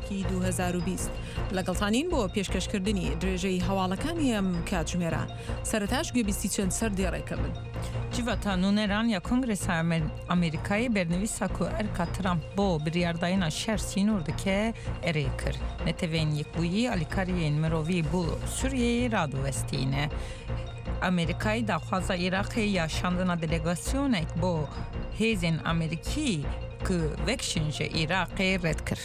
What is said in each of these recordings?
یەکی 2020. لەگەڵتانین بۆ پێشکەشکردنی درێژەی هەواڵەکانی ئەم کاتژمێرە. سەرەتاش گوێبیستی چەند سەردێڕێکە بن. Civata Nûneran ya Kongresa Amerîkayê bernivîsa ku erka Trump bo biryardayîna şer sînor dike erê kir. Neteweyên Yekbûyî alîkariyên mirovî bo Sûriyeyê radiwestîne. Amerîkayê daxwaza Iraqê ya şandina delegasyonek bo hêzên Amerîkî ku vekişin ji Iraqê red kir.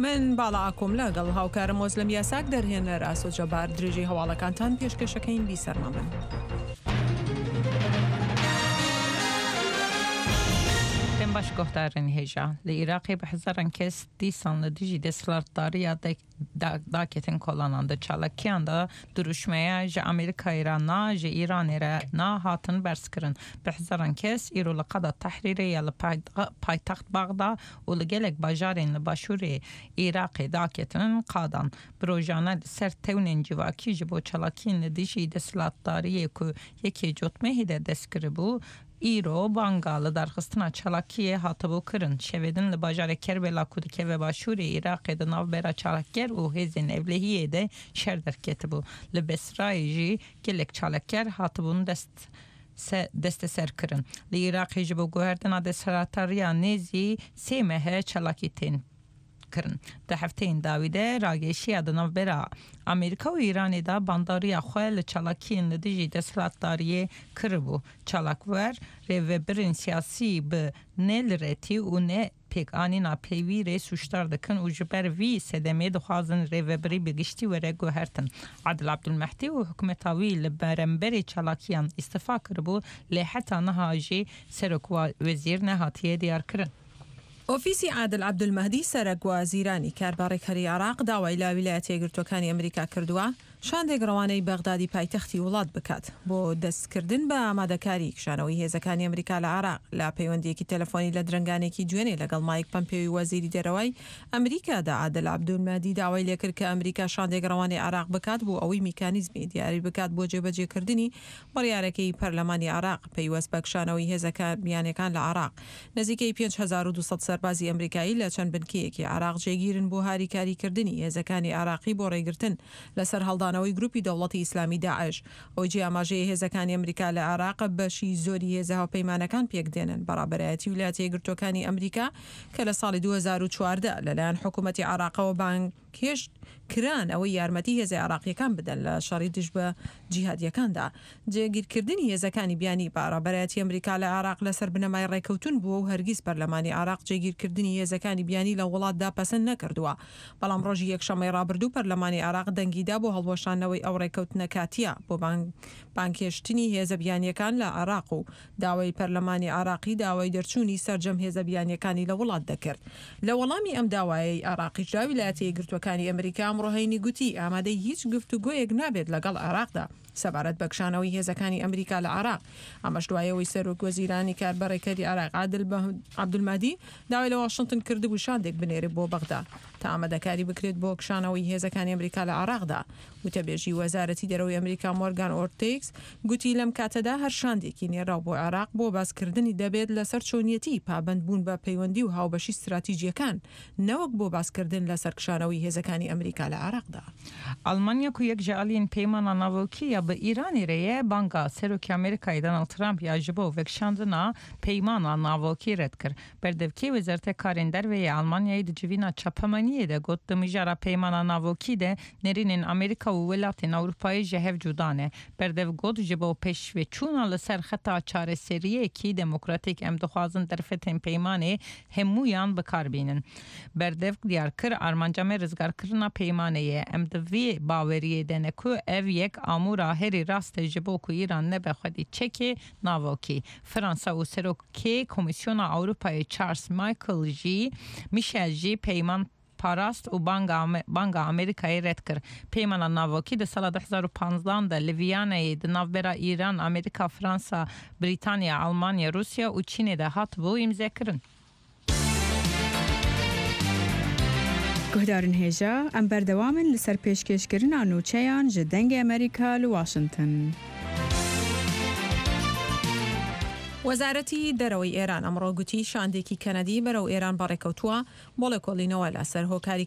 من باڵا ئاکۆم لەگەڵ هاوکارم ئۆزلەم یاساک دەرهێنەر ئاسۆ جەبار درێژەی هەواڵەکانتان پێشکەشەکەین بیسەرمان بن. Dem baş guhdarên hêja. Li Iraqê bi hezaran kes dîsan li dijî desthilatdariya daketin kolanan di çalakiyan de dirûşmeya ji Amerîkayê re na ji Îranê re na hatin berzkirin. Bi hezaran kes îro li qada Tehrîrê ya li paytext Bexda û li gelek bajarên li başûrê Iraqê daketin qadan. Bi rojane li ser tewnên civakî ji bo çalakiyên li dijî desthilatdariyê ku yekê cotmehê de dest kiribû, îro banga lidarxistina çalakiyê hatibû kirin. Şevê din li bajarê Kerbela ku dikeve başûrê Iraqê di navbera çalakger û hêzên ewlehiyê de şer derketibû. Li Besrayê jî gelek çalakger hatibûn dest desteserkirin. Li Iraqê ji bo guhertina desthilatdariya nêzî sê mehe çalakî tên kirin. Di hefteyên dawî de rageşiya di navbera Amerîka û Îranê de bandoriya xwe li çalakiyên li dijî desthilatdariyê kiribû. Çalakwer rêvebirên siyasî bi nelirêtî û ne pêkanîna peywîrê sûcdar dikin û ji ber vî sedemê dixwazin rêvebirî bi giştî were guhertin. Adil Abdulmehdî û hikûmeta wî li beremberê çalakiyan îstifa kiribû lê heta niha jî serokwezîr nehatiye diyarkirin. ئۆفیسی عادل عەبدولمەهدی سەرەک وەزیرانی کاربەڕێکەری عێراق داوای لە ویلایەتە یەکگرتووەکانی ئەمریکا کردووە شاندێک ڕەوانەی بەغدادی پایتەختی وڵات بکات بۆ دەستکردن بە ئامادەکاری کشانەوەی هێزەکانی ئەمریکا لە عێراق. لە پەیوەندییەکی تەلەفۆنی لە درەنگانێکی دوێنێ لەگەڵ مایک پەمپێوی وەزیری دەرەوەی ئەمریکادا عادل عەبدولمەهدی داوای لێکرد کە ئەمریکا شاندێک ڕەوانەی عێراق بکات بۆ ئەوەی میکانیزمی دیاری بکات بۆ جێبەجێکردنی بڕیارەکەی پەرلەمانی عێراق پەیوەست بە کشانەوەی هێزە بیانیەکان لە عێراق. نزیکەی 5200 سەربازی ئەمریکایی لە چەند بنکەیەکی عێراق جێگیرن بۆ هاریکاریکردنی هێزەکانی عێراقی بۆ ڕێگرتن لە سەرهەڵدانەوەی گروپی دەوڵەتی ئیسلامی داعش. ئەوەی جێی ئاماژەیە هێزەکانی ئەمریکا لە عێراق بەشی زۆری هێزە هاوپەیمانەکان پێکدێنن بە ڕابەرایەتی ویلایەتە یەکگرتووەکانی ئەمریکا کە لە ساڵی 2014 لەلایەن حکوومەتی عێراقەوە بانگهێشت کران ئەوەی یارمەتی هێزە عێراقییەکان بدەن لە شەڕی دژ بە جیهادییەکاندا. جێگیرکردنی هێزەکانی بیانی بە ڕابەرایەتی ئەمریکا لە عێراق لەسەر بنەمای ڕێکەوتن بووە و هەرگیز پەرلەمانی عێراق جێگیرکردنی هێزەکانی بیانی لە وڵاتدا پەسەند نەکردووە. بەڵام ڕۆژی یەکشەممەی ڕابردوو پەرلەمانی عێراق دەنگیدا بۆ هەڵوەشاندنەوەی ئەو ڕێکەوتنە کاتییە بۆ بانگهێشتنی هێزە بیانییەکان لە عێراق و داوای پەرلەمانی عێراقی داوای دەرچوونی سەرجەم هێزە بیانییەکانی لە وڵات دەکرد. لە وەڵامی ئەم داوایەی عێراقیشدا ویلایەتە یەکگرتووەکانی ئەمریکا ئەمڕۆ هەینی گوتی ئامادەی هیچ گفتوگۆیەک نابێت لەگەڵ عێراقدا سەبارەت بە کشانەوەی هێزەکانی ئەمریکا لە عێراق، ئەمەش دوای ئەوەی سەرۆک وەزیرانی کاربەڕێکەری عێراق عادل عەبدولمەهدی داوای لە واشنتن کردبوو شاندێک بنێرێت بۆ بەغدا تا ئامادەکاری بکرێت بۆ کشانەوەی هێزەکانی ئەمریکا لە عێراقدا. وتەبێژی وەزارەتی دەرەوەی ئەمریکا مۆرگان ئۆرتیکس گوتی لەم کاتەدا هەر شاندێکی نێراو بۆ عێراق بۆ باسکردنی دەبێت لەسەر چۆنیەتی پابەندبوون بە پەیوەندی و هاوبەشی ستراتیجییەکان نەوەک بۆ باسکردن لەسەر کشانەوەی هێزەکانی ئەمریکا لە عێراقدا. ئەڵمانیا ku yek ji aliyên peymana navokî ya bi Îranê re ye, banga Serokê Amerîkayê Donald Trump ya ji bo vekişandina peymana navokî red kir. Berdevkê Wezareta Karên Derve yê Almanyayê di civîna çapemeniyê de got, Di mijara peymana navokî de nêrînên Amerîka û welatên Ewropayê ji hev cuda ne. Berdev got, Ji bo pêşveçûna li ser xeta çareseriyekî demokratîk em dixwazin derfetên peymanê hemûyan bi kar bînin. Berdevk diyar kir, Armanca me rizgarkirina peymanê ye. Em di vê baweriyê de ne ku ev yek amûra herî rast e ji bo ku Îran nebe xwedî çekê navokî. Fransa û Serokê Komîsyona Ewropayê Charles Michael jî Michel jî peyman parast û banga Amerîkayê red kir. Peymana navokî di sala 2015 de li Viyanayê di navbera Îran, Amerîka, Fransa, Brîtanya, Almanya, Rûsya û Çînê de hatibû îmzekirin. Guhdarên hêja, em berdewam in li ser pêşkêşkirina nûçeyan ji Dengê Amerîka li Washington. وەزارەتی دەرەوەی ئێران ئەمڕۆ گوتی شاندێکی کەنەدی بەرەو ئێران بەڕێکەوتووە بۆ ڵێکۆڵینەوە لەسەر هۆکاری.